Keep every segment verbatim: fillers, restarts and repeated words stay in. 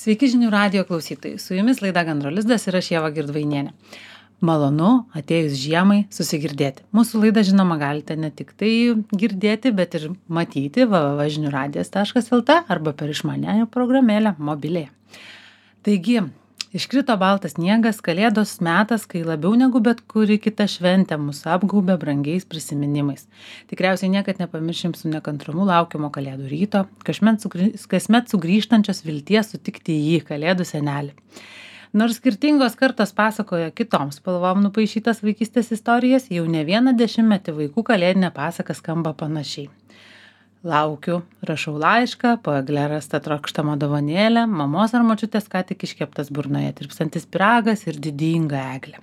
Sveiki žinių radijo klausytojai. Su jumis laida Gandro lizdas ir aš Ieva Girdvainienė. Malonu atėjus žiemai susigirdėti. Mūsų laidą žinoma galite ne tik tai girdėti, bet ir matyti w w w taškas žinių radijas taškas l t arba per išmaniąją programėlę mobilėje. Taigi, iškrito baltas sniegas, kalėdos metas, kai labiau negu bet kuri kita šventė mus apgaubė brangiais prisiminimais. Tikriausiai niekad nepamiršim su nekantrumu laukiamo kalėdų ryto, kasmet, sugrį... kasmet sugrįžtančios vilties sutikti jį, kalėdų senelį. Nors skirtingos kartos pasakoja kitoms spalvom nupaišytas vaikystės istorijas, jau ne vieną dešimtmetį vaikų kalėdinė pasaka skamba panašiai. Laukiu, rašau laišką, po egle rasta trokštama dovanėlė, mamos ar močiutės ką tik iškeptas burnoje tirpstantis pyragas ir didinga eglė.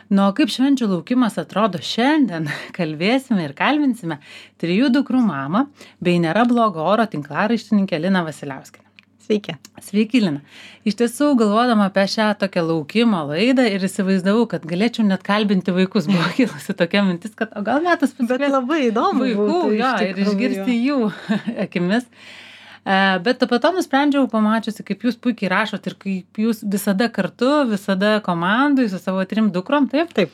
Nu, kaip švenčių laukimas atrodo šiandien, kalbėsime ir kalbinsime trijų dukrų mamą bei nėra blogo oro tinklaraištininkę Liną Vasiliauskienę. Sveiki. Sveiki, Lina. Iš tiesų, galvodama apie šią tokią laukimo laidą ir įsivaizdavau, kad galėčiau net kalbinti vaikus. Buvo kilusi tokia mintis, kad o gal metas pasikviesti. Bet labai įdomu vaikų, būtų, jo, ir išgirsti jų akimis. Bet po to nusprendžiau, pamačiusi, kaip jūs puikiai rašot ir kaip jūs visada kartu, visada komandui su savo trim dukrom, taip? Taip.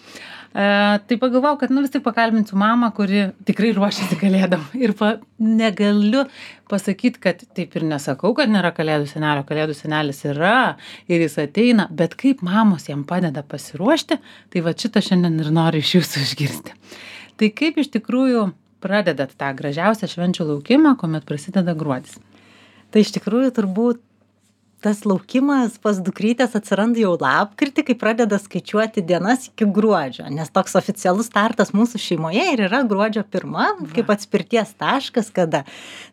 E, tai pagalvojau, kad nu vis tik pakalbinsiu mamą, kuri tikrai ruošiasi kalėdam. Ir pa, negaliu pasakyti, kad taip ir nesakau, kad nėra kalėdų senelio. Kalėdų senelis yra ir jis ateina, bet kaip mamos jam padeda pasiruošti, tai va šitą šiandien ir noriu iš jūsų išgirsti. Tai kaip iš tikrųjų pradedat tą gražiausią švenčių laukimą, kuomet prasideda gruodis? Tai iš tikrųjų turbūt tas laukimas pas dukrytės atsiranda jau lapkritį, kai pradeda skaičiuoti dienas iki gruodžio, nes toks oficialus startas mūsų šeimoje ir yra gruodžio pirma, kaip atspirties taškas, kada.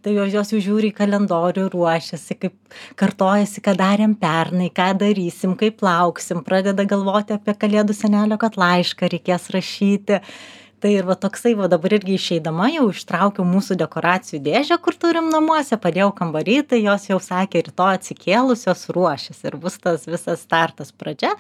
Tai jos, jos jau žiūri į kalendorių, ruošiasi, kaip kartojasi, ką darėm pernai, ką darysim, kaip lauksim, pradeda galvoti apie kalėdų senelio, kad laišką reikės rašyti. Tai ir va toksai, va dabar irgi išeidama jau ištraukiau mūsų dekoracijų dėžę, kur turim namuose, padėjau kambarį, tai jos jau sakė, rytoj atsikėlusios ruošis ir bus tas visas startas pradžia.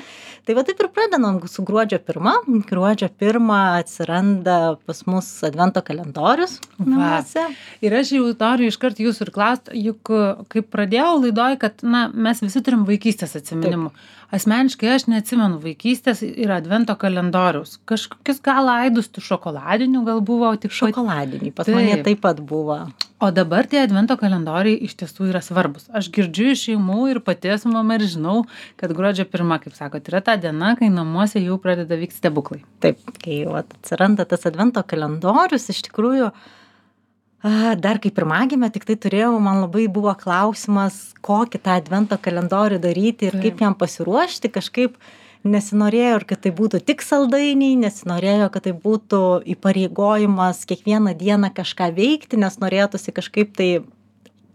Tai va taip ir pradedam su gruodžio pirma. Gruodžio pirmą atsiranda pas mus advento kalendorius namuose. Ir aš jau noriu iškart jūsų ir klausti, juk kaip pradėjau laidoj, kad na, mes visi turim vaikystės atsiminimų. Taip. Asmeniškai aš neatsimenu vaikystės ir advento kalendoriaus. Kažkokius gal aidus tų šokoladinių gal buvo tik šokoladiniai. Pas mane taip pat buvo. O dabar tie advento kalendoriai iš tiesų yra svarbus. Aš girdžiu iš šeimų ir pati esu mama ir žinau, kad gruodžio pirma, kaip sakot, yra ta diena, kai namuose jau pradeda vykti stebuklai. Taip, kai jau atsiranda tas advento kalendorius, iš tikrųjų dar kaip pirmagimė, tik tai turėjau, man labai buvo klausimas, kokį tą advento kalendorių daryti ir Taip. Kaip jam pasiruošti, kažkaip nesinorėjo, kad tai būtų tik saldainiai, nesinorėjo, kad tai būtų įpareigojimas kiekvieną dieną kažką veikti, nes norėtųsi kažkaip tai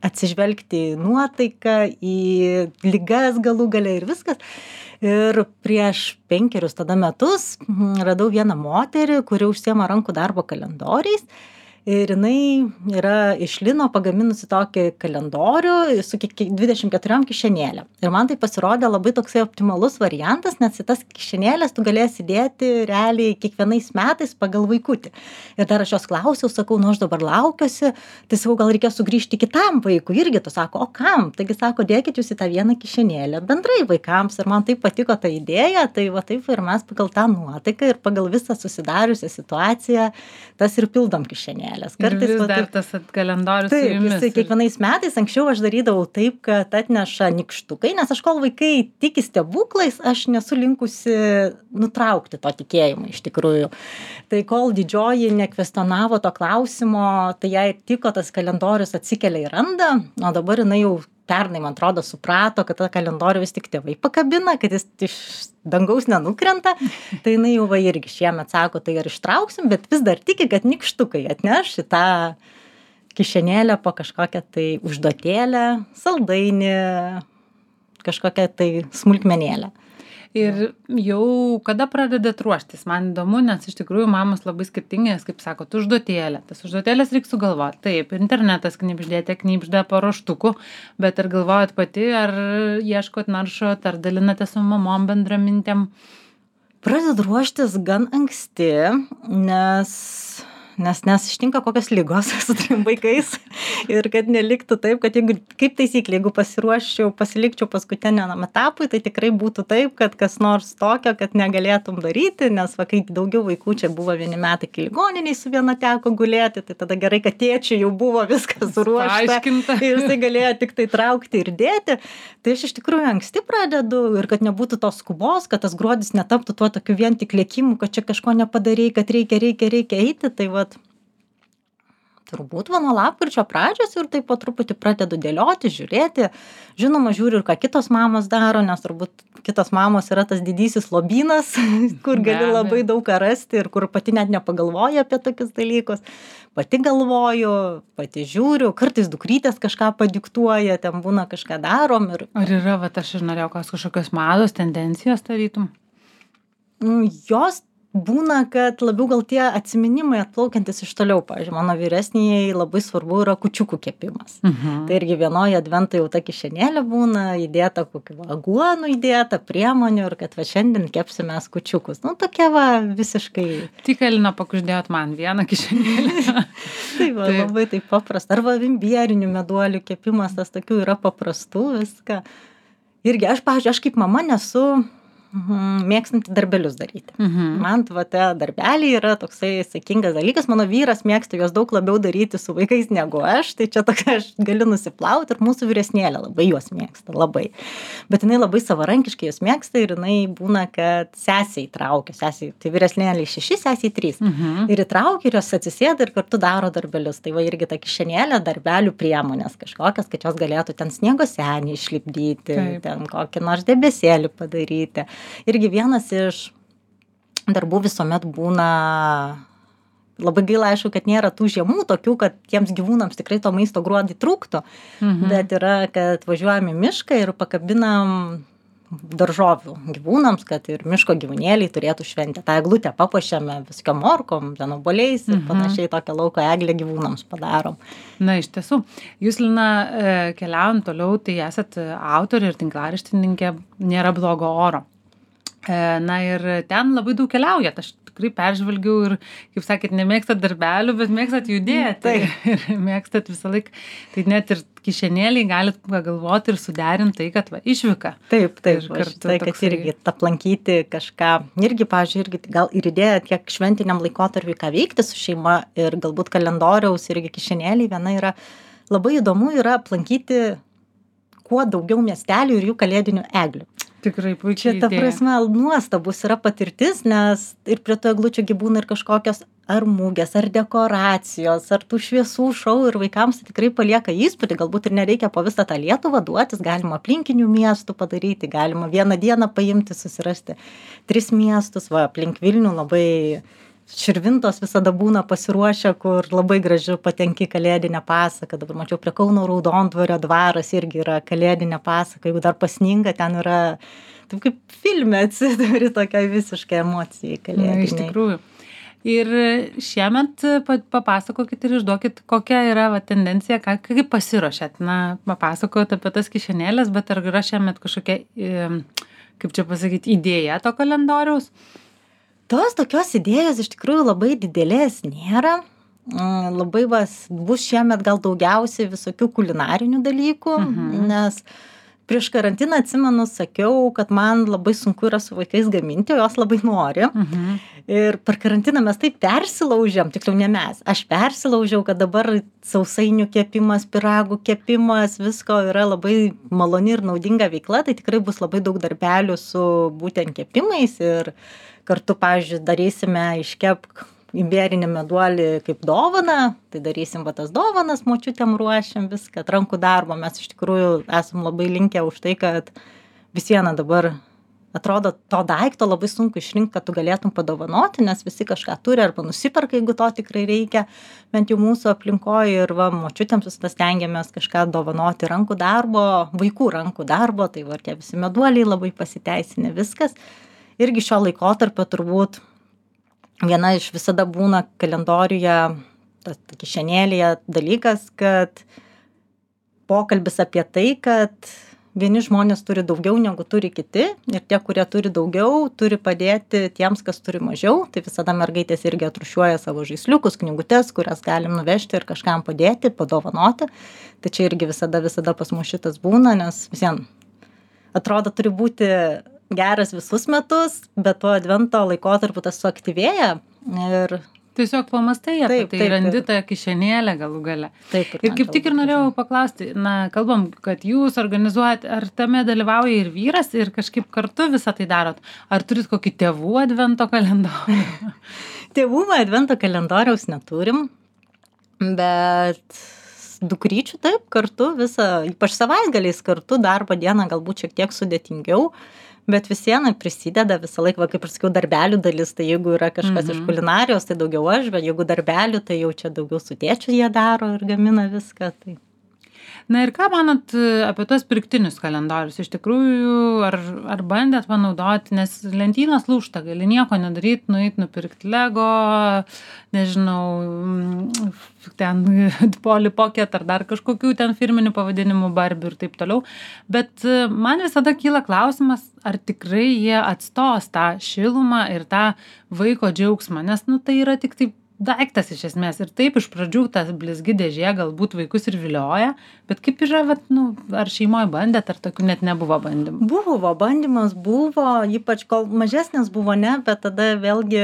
atsižvelgti į nuotaiką, į ligas galų gale ir viskas. Ir prieš penkerius tada metus radau vieną moterį, kuri užsiema rankų darbo kalendoriais. Ir jinai yra iš lino pagaminusi tokį kalendorių su dvidešimt keturiom kišenėlėm. Ir man tai pasirodė labai toksai optimalus variantas, nes į tas kišenėlės tu galėsi dėti realiai kiekvienais metais pagal vaikutį. Ir dar aš jos klausiau, sakau, nu aš dabar laukiuosi, tai sakau, gal reikės sugrįžti kitam vaikui. Irgi tu sako, o kam? Taigi sako, dėkit jūs į tą vieną kišenėlę bendrai vaikams. Ir man taip patiko ta idėja, tai va taip ir mes pagal tą nuotaiką ir pagal visą susidariusią situaciją tas ir pildom kišenėlę. Kartais vis dar tas kalendorius taip, su jumis. Taip, kiekvienais metais anksčiau aš darydavau taip, kad atneša nykštukai, nes aš kol vaikai tiki stebuklais, aš nesu linkusi nutraukti to tikėjimo iš tikrųjų. Tai kol didžioji nekvestionavo to klausimo, tai jai tiko tas kalendorius atsikelia į randą, o dabar jinai jau pernai, man atrodo, suprato, kad tą kalendorių vis tik tėvai pakabina, kad jis iš dangaus nenukrenta, tai jinai jau va irgi šiemet sako, tai ar ištrauksim, bet vis dar tiki, kad nykštukai atneš į tą kišenėlę po kažkokią tai užduotėlę, saldainį, kažkokią tai smulkmenėlę. Ir jau kada pradedat ruoštis? Man įdomu, nes iš tikrųjų mamos labai skirtingas, kaip sakot, užduotėlė. Tas užduotėlės reikia sugalvoti. Taip, internetas knibždėte, knibžda paruoštukų, bet ar galvojat pati, ar ieškot, naršot, ar dalinate su mamom bendramintėm? Pradedu ruoštis gan anksti, nes nes nes ištinka kokios ligos su trim vaikais ir kad neliktų taip, kad jeigu, kaip taisyklė, jeigu pasiruoščiau, pasilikčiau paskutiniam etapui, tai tikrai būtų taip, kad kas nors tokio, kad negalėtum daryti, nes va, kai daugiau vaikų čia buvo vieni metai, kai ligoniniai su viena teko gulėti, tai tada gerai, kad tėčiui jau buvo viskas suruošta ir jisai galėjo tik tai traukti ir dėti. Tai aš iš tikrųjų anksti pradedu ir kad nebūtų tos skubos, kad tas gruodis netaptų tuo tokiu vien tik lėkimu, kad čia kažko nepadarei, kad reikia, reikia, reikia eiti, tai va, turbūt va, nuo lapkričio pradžios ir taip po truputį pradedu dėlioti, žiūrėti. Žinoma, žiūriu ir ką kitos mamos daro, nes turbūt kitos mamos yra tas didysis lobynas, kur gali labai daug ką rasti ir kur pati net nepagalvoju apie tokius dalykus. Pati galvoju, pati žiūriu, kartais dukrytės kažką padiktuoja, ten būna kažką darom. Ir... Ar yra, va, aš ir norėjau kažkokios mados, tendencijos tarytum? Jos būna, kad labiau gal tie atsiminimai atplaukiantis iš toliau. Pavyzdžiui, mano vyresniai labai svarbu yra kūčiukų kepimas. Mhm. Tai irgi vienoje advento jau ta kišenėlė būna, įdėta kokių aguonų, įdėta priemonių ir kad va šiandien kepsime kūčiukus. Nu, tokia va visiškai... Tik Elina pakuždėjot man vieną kišenėlę. Tai va, taip. Labai taip paprasta. Arba imbierinių meduolių kepimas, tas tokių yra paprastų viską. Irgi aš, pavyzdžiui, aš kaip mama nesu... Mhm, mėgstanti darbelius daryti. Mhm. Man va, te darbeliai yra toksai sakingas dalykas. Mano vyras mėgsta juos daug labiau daryti su vaikais negu aš. Tai čia tokia aš galiu nusiplauti ir mūsų vyresnėlė labai juos mėgsta. Labai. Bet jinai labai savarankiškai juos mėgsta ir jinai būna, kad sesiai traukia. Sesiai, tai vyresnėlė šeši, sesiai trys. Mhm. Ir įtraukia ir jos atsisėda ir kartu daro darbelius. Tai va irgi ta kišenėlė darbelių priemonės kažkokias, kad jos galėtų ten sniego senį išlipdyti, Taip. ten kokį nors debesėlį padaryti. Irgi vienas iš darbų visuomet būna, labai gaila aišku, kad nėra tų žiemų tokių, kad tiems gyvūnams tikrai to maisto gruodį trūktų, Mhm. bet yra, kad važiuojam į mišką ir pakabinam daržovių gyvūnams, kad ir miško gyvūnėliai turėtų šventę. Ta eglutę papuošiame viskio morkom, ten obuoliais ir Mhm. panašiai tokią lauko eglę gyvūnams padarom. Na, iš tiesų, jūs, Lina, e, keliaujant toliau, tai esat autorė ir tinklaraštininkė Nėra blogo oro. E, Na ir ten labai daug keliaujat. Aš tikrai peržvelgiau ir, kaip sakėt, nemėgstat darbelių, bet mėgstat judėti. Taip. Ir mėgstat visą laiką. Tai net ir kišenėliai galit pagalvoti ir suderinti tai, kad va, išvyka. Taip, taip, Ir aš kartu tai, kad toksai- irgi aplankyti kažką, irgi, pavyzdžiui, irgi gal ir idėja tiek šventiniam laikotarpiui, ką veikti su šeima ir galbūt kalendoriaus irgi kišenėliai, viena yra labai įdomu yra aplankyti kuo daugiau miestelių ir jų kalėdinių eglių. Tikrai Čia, puikiai ta idėja. prasme, nuostabus yra patirtis, nes ir prie to eglučių gi būna ir kažkokios ar mūgės, ar dekoracijos, ar tų šviesų šou ir vaikams tai tikrai palieka įspūdį, galbūt ir nereikia po visą tą Lietuvą duotis, galima aplinkinių miestų padaryti, galima vieną dieną paimti, susirasti tris miestus, va, aplink Vilnių labai Širvintos visada būna pasiruošę, kur labai gražiu patenki kalėdinę pasaką. Dabar mačiau prie Kauno Raudondvario dvaras irgi yra kalėdinė pasaka. Jeigu dar pasninga, ten yra, taip kaip filme atsiduri tokiai visiškai emocijai Na, kalėdiniai. iš tikrųjų. Ir šiemet pa- papasakokit ir išduokit, kokia yra va, tendencija, ką, kaip pasiruošėt. Na, papasakojot apie tas kišenėlės, bet ar yra šiemet kažkokia, em, kaip čia pasakyti, idėja to kalendoriaus? Tos tokios idėjos iš tikrųjų labai didelės nėra. Mm, Labai vas, bus šiemet gal daugiausiai visokių kulinarinių dalykų, Mhm. nes prieš karantiną atsimenu, sakiau, kad man labai sunku yra su vaikais gaminti, o jos labai nori. Mhm. Ir per karantiną mes taip persilaužėm, tiksliau ne mes, aš persilaužiau, kad dabar sausainių kepimas, pyragų kepimas, visko yra labai maloni ir naudinga veikla, tai tikrai bus labai daug darbelių su būtent kepimais ir kartu, pavyzdžiui, darysime iškepk imberinį meduolį kaip dovaną, tai darysim va tas dovanas, močiutėm ruošiam viską, rankų darbo, mes iš tikrųjų esam labai linkę už tai, kad vis viena dabar atrodo to daikto labai sunku išrinkti, kad tu galėtum padovanoti, nes visi kažką turi arba nusiperka, jeigu to tikrai reikia, bent jau mūsų aplinkoje ir va, močiutėms visada stengiamės kažką dovanoti rankų darbo, vaikų rankų darbo, tai va, tie visi meduoliai labai pasiteisinę viskas. Irgi šio laikotarpio turbūt viena iš visada būna kalendoriuje, tas kišenėlėje dalykas, kad pokalbis apie tai, kad vieni žmonės turi daugiau negu turi kiti ir tie, kurie turi daugiau, turi padėti tiems, kas turi mažiau. Tai visada mergaitės irgi atrūšiuoja savo žaisliukus, knygutes, kurias galim nuvežti ir kažkam padėti, padovanoti. Tai čia irgi visada, visada pas mus šitas būna, nes visien atrodo turi būti geras visus metus, bet tuo advento laikotarpiu tas suaktyvėja ir tiesiog pamastai apie Taip, tai, taip, randi taip. tą kišenėlę galų gale. taip. Ir kaip tik ir norėjau paklausti, na, kalbam, kad jūs organizuojat, ar tame dalyvauja ir vyras, ir kažkaip kartu visą tai darot? Ar turit kokį tėvų advento kalendorių? Tėvų advento kalendoriaus neturim, bet dukryčių taip kartu visą, ypač savaitgaliais kartu, darbo dieną galbūt šiek tiek sudėtingiau, bet vis viena prisideda visą laiką, va, kaip ir sakiau, darbelių dalis, tai jeigu yra kažkas iš kulinarijos, tai daugiau aš, bet jeigu darbelių, tai jau čia daugiau su tėčiu jie daro ir gamina viską. Tai. Na ir ką manot apie tuos pirktinius kalendorius? Iš tikrųjų, ar, ar bandėt panaudoti, nes lentynos lūžta, gali nieko nedaryti, nueit nupirkti Lego, nežinau, ten Polly Pocket ar dar kažkokių ten firminių pavadinimų Barbie ir taip toliau. Bet man visada kyla klausimas, ar tikrai jie atstos tą šilumą ir tą vaiko džiaugsmą, nes nu, tai yra tik taip daiktas iš esmės. Ir taip iš pradžių tas blizgi dėžė galbūt vaikus ir vilioja, bet kaip yra, vat, nu, ar šeimoje bandėt, ar tokių net nebuvo bandymų? Buvo, bandymas buvo, ypač kol mažesnis buvo, ne, bet tada vėlgi,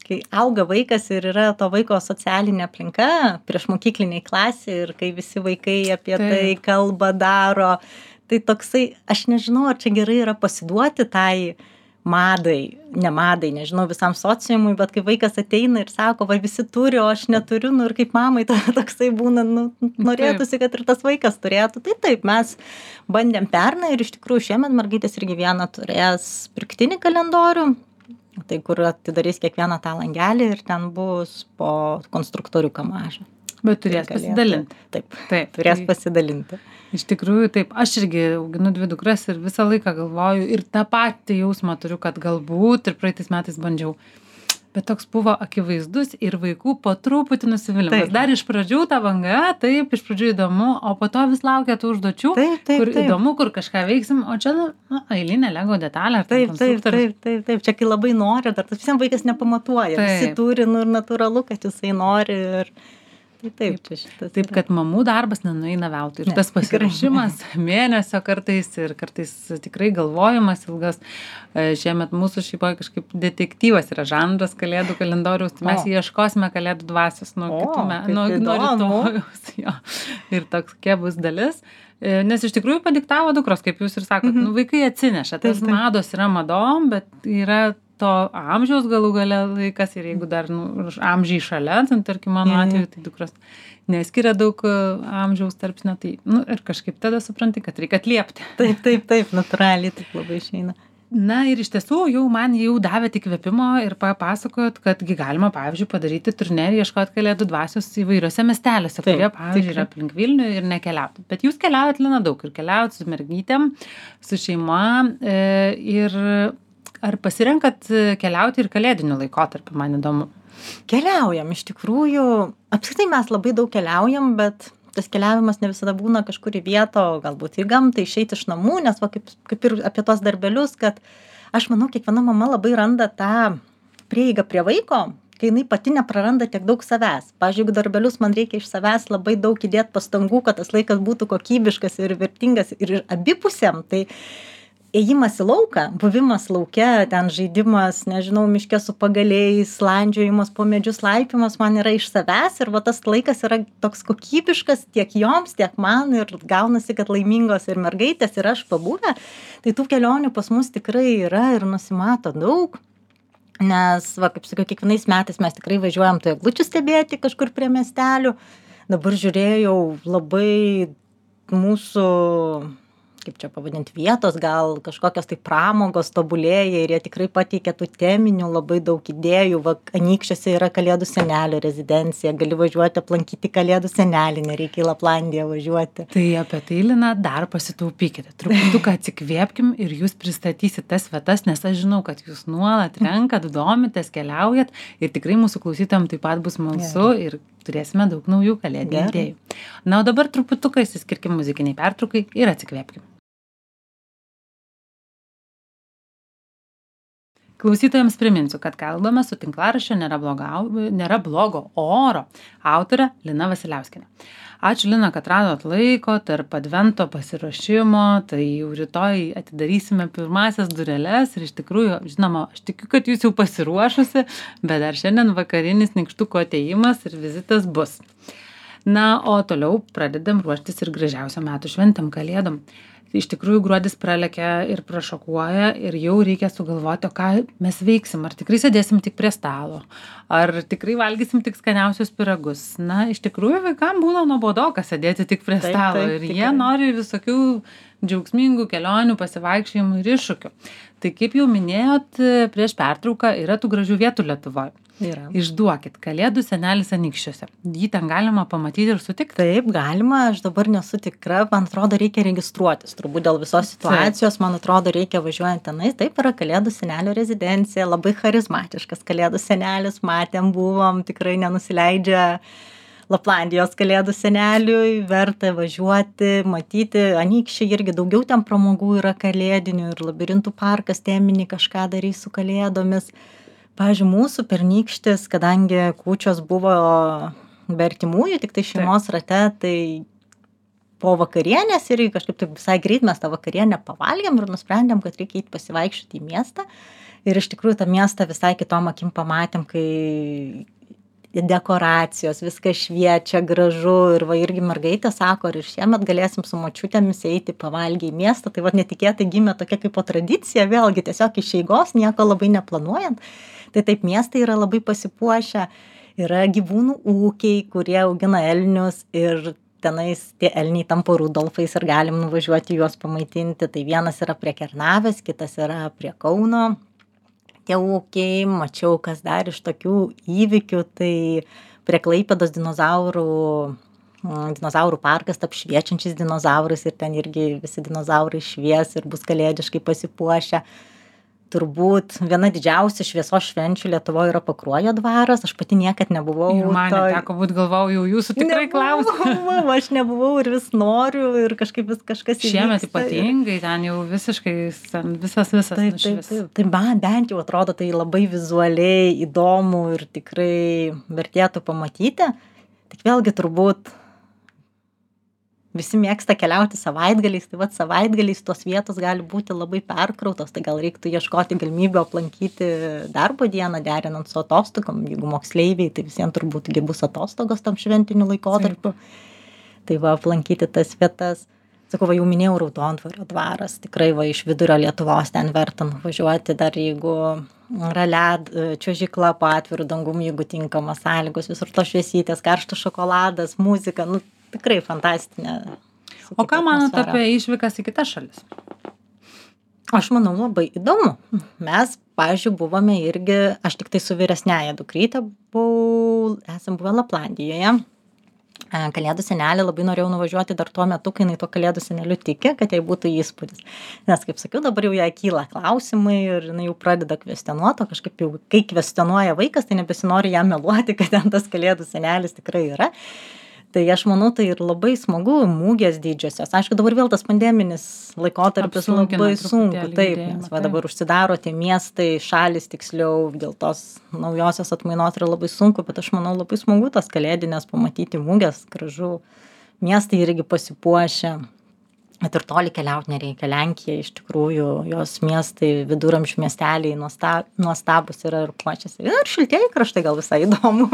kai auga vaikas ir yra to vaiko socialinė aplinka, prieš mokykliniai klasė ir kai visi vaikai apie Taip. tai kalba, daro, tai toksai, aš nežinau, ar čia gerai yra pasiduoti tai madai, ne madai, nežinau, visam sociumui, bet kai vaikas ateina ir sako, va visi turi, o aš neturiu, nu ir kaip mamai tada toksai būna, nu, norėtųsi, kad ir tas vaikas turėtų. Tai taip, mes bandėm pernai ir iš tikrųjų šiemet mergaitės irgi vieną turės pirktinį kalendorių, tai kur atidarys kiekvieną tą langelį ir ten bus po konstruktoriuką mažą. Bet turės Tai galėtų- pasidalinti. Taip, Taip, turės tai- pasidalinti. Iš tikrųjų, taip, aš irgi auginu dvi dukras ir visą laiką galvoju ir tą patį jausmą turiu, kad galbūt ir praeitais metais bandžiau. Bet toks buvo akivaizdus ir vaikų po truputį nusivylimas. Taip. Dar iš pradžių ta banga, taip, iš pradžių įdomu, o po to vis laukia tų užduočių, Taip, taip, kur taip. įdomu, kur kažką veiksim, o čia, nu, eilinė Lego detalė. ar ten Taip, taip, konstruktorius. taip, taip, taip. Čia kai labai nori, dar tas visiems vaikas nepamatuoja. Taip. Visi turi, nu ir natūralu, kad jisai nori. Ir... Tai taip, čia šitas. Taip, yra. kad mamų darbas nenueina veltui. Ir Ne, tas tikrai pasiruošimas mėnesio kartais ir kartais tikrai galvojimas ilgas. E, Šiemet mūsų šeimoje kažkaip detektyvas yra žanras kalėdų kalendoriaus, tai mes O. ieškosime kalėdų dvasios nuo O, kitų metų, kaip nuo, nuo įdomu. rytojaus. Jo. Ir tokia bus dalis. E, Nes iš tikrųjų padiktavo dukros, kaip jūs ir sakot, Mhm. nu, vaikai atsineša. Tas Taip, taip. mados yra madom, bet yra to amžiaus galų gale laikas ir jeigu dar nu, amžiai šalia, tai tarkim mano Jo, jo. atveju, tai dukros neskiria daug e, amžiaus tarpsnio, tai nu, ir kažkaip tada supranti, kad reikia atliepti. Taip, taip, taip, natūraliai taip labai išeina. Na ir iš tiesų jau man jau davėt įkvėpimo ir papasakojot, kadgi galima, pavyzdžiui, padaryti turnyrį, ieškoti kalėdų dvasios įvairiuose miesteliuose, Taip, kurie, pavyzdžiui, tikrai. yra aplink Vilnių ir nekeliauti. Bet jūs keliaujat, Lina, daug ir keliaujat su mergytėm, su šeima e, ir ar pasirenkat keliauti ir kalėdiniu laikotarpiu, man įdomu. Keliaujam, iš tikrųjų, apskritai mes labai daug keliaujam, bet tas keliavimas ne visada būna kažkur į vietą, o galbūt į gamtą, išeiti iš namų, nes va, kaip, kaip ir apie tos darbelius, kad aš manau, kiekviena mama labai randa tą prieigą prie vaiko, kai jinai pati nepraranda tiek daug savęs. Pavyzdžiui, jeigu darbelius man reikia iš savęs labai daug įdėti pastangų, kad tas laikas būtų kokybiškas ir vertingas ir abipusėm, tai ėjimas į lauką, buvimas lauke, ten žaidimas, nežinau, miške su pagaliais, landžiojimas po medžius, laipimas man yra iš savęs ir va tas laikas yra toks kokybiškas tiek joms, tiek man ir gaunasi, kad laimingos ir mergaitės ir aš pabuvę. Tai tų kelionių pas mus tikrai yra ir nusimato daug. Nes, va, kaip sakiau, kiekvienais metais mes tikrai važiuojam tų eglučių stebėti kažkur prie miestelių. Dabar žiūrėjau labai mūsų, kaip čia pavadinti, vietos, gal kažkokios tai pramogos tobulėja ir jie tikrai pateikia tų teminių labai daug idėjų. Va, Anykščiuose yra Kalėdų senelio rezidencija, gali važiuoti aplankyti Kalėdų senelį, nereikia į Laplandiją važiuoti. Tai apie tai, Lina, dar pasitaupykite. Truputuką atsikvėpkim ir jūs pristatysit tas vietas, nes aš žinau, kad jūs nuolat renkat, domitės, keliaujat ir tikrai mūsų klausytojams taip pat bus smalsu ir turėsime daug naujų kalėdinių Gerai. idėjų. Na, o dabar truputuką įsiskirkim muzikiniai pertraukai ir atsikvėpkim. Klausytojams priminsiu, kad kalbame su tinklaraščio nėra, bloga, nėra blogo oro autorė Lina Vasiliauskienė. Ačiū, Lina, kad radot laiko tarp advento pasiruošimo, tai jau rytoj atidarysime pirmasias dureles ir iš tikrųjų, žinoma, aš tikiu, kad jūs jau pasiruošusi, bet dar šiandien vakarinis nykštuko atėjimas ir vizitas bus. Na, o toliau pradedam ruoštis ir gražiausiam metų šventėm, kalėdom. Iš tikrųjų, gruodis pralekia ir prašokuoja ir jau reikia sugalvoti, o ką mes veiksim. Ar tikrai sėdėsim tik prie stalo, ar tikrai valgysim tik skaniausius pyragus. Na, iš tikrųjų, vaikam būna nuobodoka sėdėti tik prie Taip, stalo taip, ir tikrai. jie nori visokių džiaugsmingų kelionių, pasivaikščiojimų ir iššūkių. Tai kaip jau minėjot, prieš pertrauką yra tų gražių vietų Lietuvoje. Yra. Išduokit, Kalėdų senelis Anykščiuose. Jį ten galima pamatyti ir sutikti. Taip, galima, aš dabar nesu tikra, man atrodo, reikia registruotis. Turbūt dėl visos situacijos, man atrodo, reikia važiuojant tenais. Taip, yra Kalėdų senelio rezidencija, labai charizmatiškas Kalėdų senelis, matėm, buvom, tikrai nenusileidžia Laplandijos Kalėdų seneliui, verta važiuoti, matyti. Anykščiai irgi daugiau ten pramogų yra kalėdinių ir labirintų parkas teminį kažką darys su kalėdomis. Pavyzdžiui, mūsų pernykštis, kadangi kūčios buvo be artimųjų, tik tai šeimos rate, tai po vakarienės ir kažkaip taip visai greit mes tą vakarienę pavalgėm ir nusprendėm, kad reikia eiti pasivaikščioti į miestą. Ir iš tikrųjų tą miestą visai kitom akim pamatėm, kai dekoracijos, viskas šviečia, gražu ir va irgi mergaitė sako, ir šiemet galėsim su močiutėmis eiti pavalgyti į miestą. Tai va netikėtai gimė tokia kaip po tradicija, vėlgi tiesiog iš eigos, nieko labai neplanuojant. Tai taip miestai yra labai pasipuošę, yra gyvūnų ūkiai, kurie augina elnius ir tenais tie elniai tampa Rudolfais ir galim nuvažiuoti juos pamaitinti. Tai vienas yra prie Kernavės, kitas yra prie Kauno. Tie ūkiai, mačiau, kas dar iš tokių įvykių, tai prie Klaipėdos dinozaurų, dinozaurų parkas tap šviečiančiais dinozaurais ir ten irgi visi dinozaurai švies ir bus kalėdiškai pasipuošę. Turbūt viena didžiausia šviesos švenčių Lietuvoje yra Pakruojo dvaras, aš pati niekad nebuvau. Ir man toj- neteko būt, galvojau, jau jūsų tikrai klausiu. Nebuvau, aš nebuvau ir vis noriu ir kažkaip vis kažkas Šiemet įvyksta ir- ypatingai, ten jau visiškai ten visas visas Taip, taip, nušvis. taip. Tai man bent jau atrodo tai labai vizualiai įdomu ir tikrai vertėtų pamatyti. Tik vėlgi turbūt visi mėgsta keliauti savaitgaliais, tai vat savaitgaliais tos vietos gali būti labai perkrautos, tai gal reiktų ieškoti galimybę aplankyti darbo dieną, derinant su atostogom, jeigu moksleiviai, tai visiems turbūt gi bus atostogos tam šventiniu laikotarpiu. Tai va aplankyti tas vietas. Sakau, va jau minėjau Raudondvario dvaras, tikrai va iš vidurio Lietuvos ten verta nuvažiuoti, dar jeigu yra led, čiuožykla po atviru dangum, jeigu tinkamos sąlygos, visur to šviesytės, karštas šokoladas, muzika, nu tikrai fantastinė. O ką manot atmosfera. apie išvykas į kitas šalis? Aš manau, labai įdomu. Mes, pavyzdžiui, buvome irgi, aš tik tai su vyresnėja dukrytė buvau, esam buvę Laplandijoje. E, Kalėdų senelį labai norėjau nuvažiuoti dar tuo metu, kai jinai to Kalėdų seneliu tiki, kad jai būtų įspūdis. Nes, kaip sakiau, dabar jau jai kyla klausimai ir jinai jau pradeda kvestionuoti, o kažkaip jau, kai kvestionuoja vaikas, tai nebesinori jam meluoti, kad ten tas Kalėdų senelis tikrai yra. Tai aš manau, tai ir labai smagu, mūgės didžiosios. Aišku, dabar vėl tas pandeminis laikotarpis Apsunkina labai truputėlį sunku. Taip, judėjimą, nes va taip. dabar užsidaro tie miestai, šalis tiksliau, dėl tos naujosios atmainos yra labai sunku, bet aš manau labai smagu tas kalėdinės pamatyti mūgės, gražu. Miestai irgi pasipuošia. Bet ir toli keliauti nereikia. Lenkija iš tikrųjų, jos miestai, viduramžių miesteliai nuosta- nuostabus yra ir puošiasi. Ir šiltieji kraštai gal visai įdomu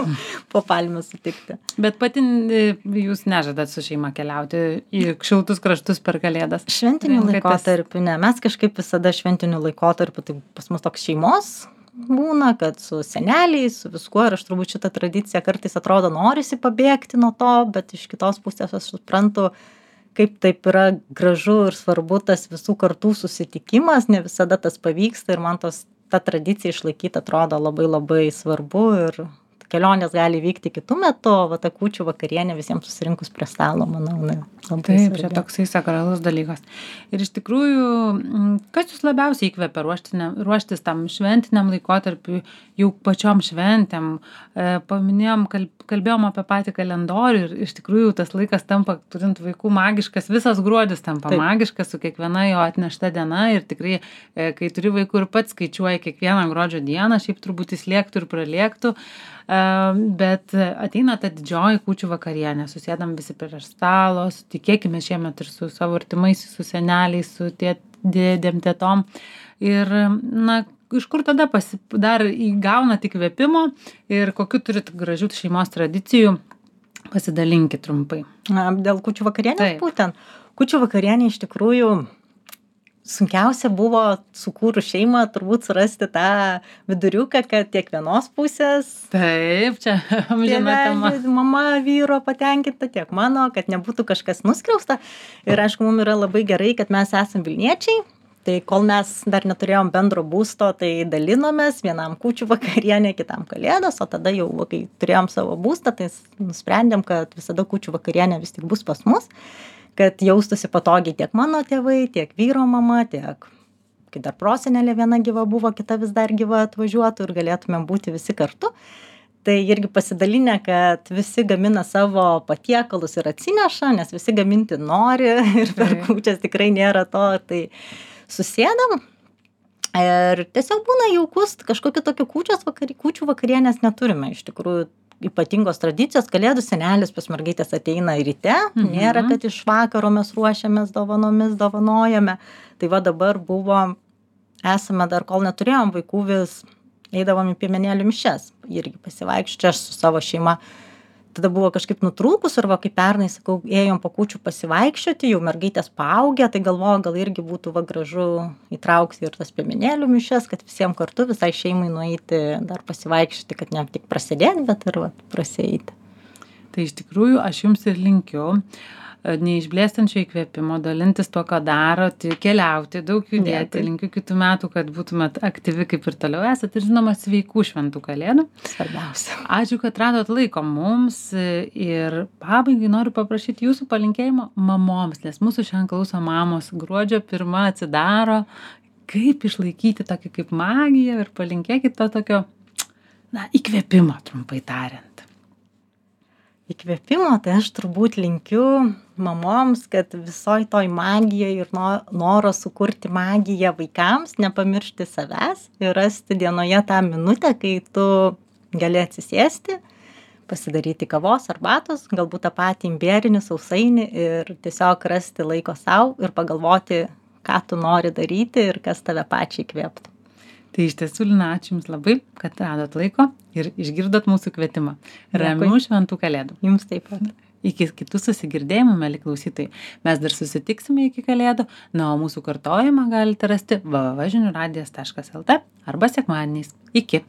po palmių sutikti. Bet pati e, jūs nežadat su šeima keliauti į šiltus kraštus per Kalėdas. Šventiniu Renkatės- laikotarpiu, ne, mes kažkaip visada šventiniu laikotarpiu, tai pas mus toks šeimos būna, kad su seneliais, su viskuo, ir aš turbūt šitą tradiciją kartais atrodo norisi pabėgti nuo to, bet iš kitos pusės aš suprantu, kaip taip yra gražu ir svarbu tas visų kartų susitikimas, ne visada tas pavyksta ir man tos, ta tradicija išlaikyti atrodo labai labai svarbu ir kelionės gali vykti kitu metu, o va ta kūčių vakarienė visiems susirinkus prie stalo, manau, ne. Taip, čia toksai sakralus dalykas. Ir iš tikrųjų, kas jūs labiausiai įkvepia ruoštis tam šventiniam laikotarpiu, jau pačiom šventėm? Paminėjom, kalbėjom apie patį kalendorių ir iš tikrųjų tas laikas tampa, turint vaikų, magiškas, visas gruodis tampa Taip. magiškas su kiekviena jo atnešta diena ir tikrai, kai turi vaikų ir pats skaičiuoji kiekvieną gruodžio dieną, šiaip turbūt jis lėktų ir pralėktų. Bet ateina ta didžioji kūčių vakarienė, susėdam visi prie stalo, tikėkime šiemet ir su savo artimaisiais, su seneliais, su dėdėm, tėtom. Ir, na, iš kur tada pasi, dar įgauna tik įkvėpimo ir kokiu turit gražių šeimos tradicijų, pasidalinkit trumpai. Na, dėl kūčių vakarienės būtent. Kūčių vakarienė iš tikrųjų sunkiausia buvo sukūrus šeimą turbūt surasti tą viduriuką, kad tiek vienos pusės. Taip, čia amžina tema. Mama vyro patenkinta, tiek mano, kad nebūtų kažkas nuskriausta. Ir aišku, mums yra labai gerai, kad mes esam Vilniečiai. Tai kol mes dar neturėjom bendro būsto, tai dalinomės vienam kūčių vakarienė, kitam kalėdos, o tada jau, kai turėjom savo būstą, tai nusprendėm, kad visada kūčių vakarienė vis tik bus pas mus, kad jaustųsi patogiai tiek mano tėvai, tiek vyro mama, tiek, kai dar prosenelė viena gyva buvo, kita vis dar gyva atvažiuotų ir galėtumėm būti visi kartu. Tai irgi pasidalinę, kad visi gamina savo patiekalus ir atsineša, nes visi gaminti nori ir per kūčias tikrai nėra to, tai susėdam ir tiesiog būna jaukus, kažkokiu tokiu kūčios vakari, kūčių vakarienės neturime iš tikrųjų. Ypatingos tradicijos, kalėdų senelis pas mergaitės ateina ryte, mhm. nėra, kad iš vakaro mes ruošiamės dovanomis, dovanojame. Tai va dabar buvo, esame dar, kol neturėjom vaikų, vis eidavom į piemenėlių mišias, irgi pasivaikščioti, aš su savo šeima. Tada buvo kažkaip nutrūkus ir va, kaip pernai, sakau, ėjom po kūčių pasivaikščioti, jau mergaitės paaugę, tai galvoju, gal irgi būtų va gražu įtraukti ir tas piemenėlių mišias, kad visiems kartu visai šeimai nueiti dar pasivaikščioti, kad ne tik prasidėti, bet ir va, prasieiti. Tai iš tikrųjų aš jums ir linkiu neišblėstančio įkvėpimo, dalintis to, ką darot, keliauti, daug judėti. Dėkui. Linkiu kitų metų, kad būtumėt aktyvi kaip ir toliau esat ir žinoma sveikų šventų kalėdų. Svarbiausia. Ačiū, kad radot laiko mums ir pabaigai noriu paprašyti jūsų palinkėjimo mamoms, nes mūsų šiandien klauso mamos, gruodžio pirma atsidaro, kaip išlaikyti tokį kaip magiją ir palinkėkit to tokio, na, įkvėpimo, trumpai tariant. Įkvėpimo, tai aš turbūt linkiu mamoms, kad visoj toj magijai ir noro sukurti magiją vaikams, nepamiršti savęs ir rasti dienoje tą minutę, kai tu gali atsisėsti, pasidaryti kavos, arbatos, galbūt tą patį imbierinį sausainį ir tiesiog rasti laiko sau ir pagalvoti, ką tu nori daryti ir kas tave pačiai įkvėptų. Tai iš tiesų, Lina, ačiū Jums labai, kad radot laiko ir išgirdot mūsų kvietimą. Ramių šventų kalėdų. Jums taip pat. Iki kitų susigirdėjimų, mieli klausytojai. Mes dar susitiksime iki kalėdų, na, o mūsų kartojimą galite rasti w w w taškas žinių radijas taškas l t arba sekmadieniais. Iki.